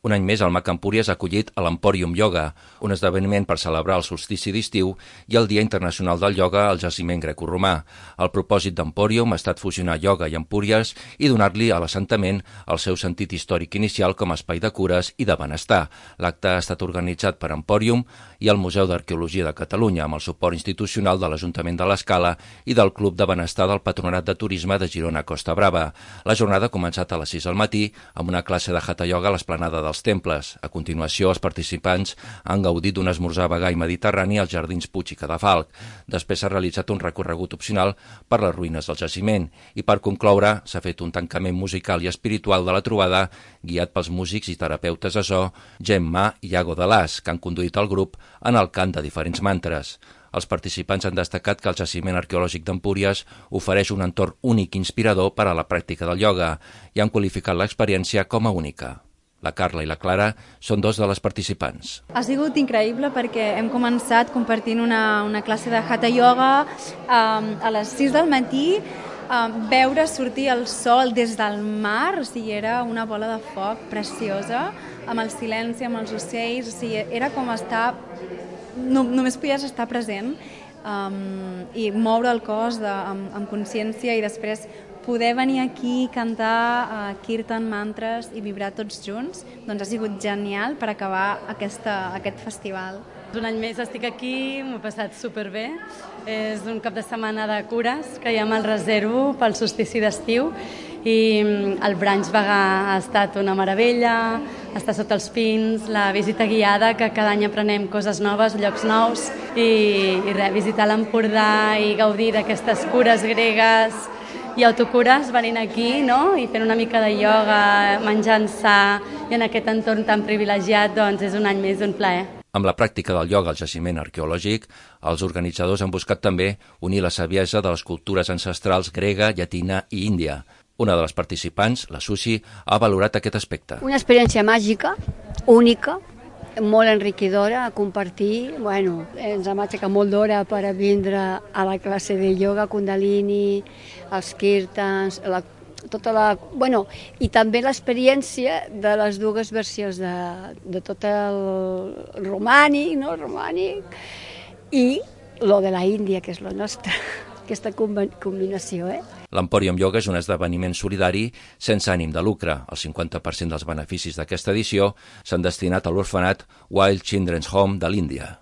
Un any més, el MAC Empúries ha acollit a l'Emporium Yoga, un esdeveniment per celebrar el solstici d'estiu i el Dia Internacional del Ioga al jaciment grecoromà. El propòsit d'Emporium ha estat fusionar ioga i Empúries i donar-li a l'assentament el seu sentit històric inicial com a espai de cures i de benestar. L'acte ha estat organitzat per Emporium i el Museu d'Arqueologia de Catalunya, amb el suport institucional de l'Ajuntament de l'Escala i del Club de Benestar del Patronat de Turisme de Girona Costa Brava. La jornada ha començat a les 6 del matí amb una classe de Hatha Yoga a l'esplanada dels temples. A continuació, els participants han gaudit d'un esmorzar vegà i mediterrani als Jardins Puig i Cadafalc. Després s'ha realitzat un recorregut opcional per les ruïnes del jaciment i, per concloure, s'ha fet un tancament musical i espiritual de la trobada guiat pels músics i terapeutes de so Gemma i Iago de Las, que han conduït el grup en el cant de diferents mantres. Els participants han destacat que el jaciment arqueològic d'Empúries ofereix un entorn únic i inspirador per a la pràctica del ioga i han qualificat l'experiència com a única. La Carla i la Clara són dos de les participants. Ha sigut increïble perquè hem començat compartint una classe de Hatha Yoga a les 6 del matí, veure sortir el sol des del mar, o sigui, era una bola de foc preciosa, amb el silenci, amb els ocells, o sigui, era com estar... Només podies estar present i moure el cos amb consciència i després poder venir aquí, cantar kirtan, mantres i vibrar tots junts, doncs ha sigut genial per acabar aquest festival. Un any més estic aquí, m'ho he passat superbé. És un cap de setmana de cures que ja me'l reservo pel solstici d'estiu i el brunch vegà ha estat una meravella, estar sota els pins, la visita guiada, que cada any aprenem coses noves, llocs nous, i visitar l'Empordà i gaudir d'aquestes cures gregues i autocures venint aquí, no? I fent una mica de ioga, menjant sa i en aquest entorn tan privilegiat, doncs és un any més d'un plaer. Amb la pràctica del ioga al jaciment arqueològic, els organitzadors han buscat també unir la saviesa de les cultures ancestrals grega, llatina i índia. Una de les participants, la Susi, ha valorat aquest aspecte. Una experiència màgica, única, molt enriquidora a compartir. Bueno, ens hem aixecat molt d'hora per vindre a la classe de ioga, kundalini, els kirtans, i també l'experiència de les dues versions de tot el romànic, no? I lo de la Índia, que és lo nostre, aquesta combinació. L'Emporium Yoga és un esdeveniment solidari sense ànim de lucre. El 50% dels beneficis d'aquesta edició s'han destinat a l'orfenat Wild Children's Home de l'Índia.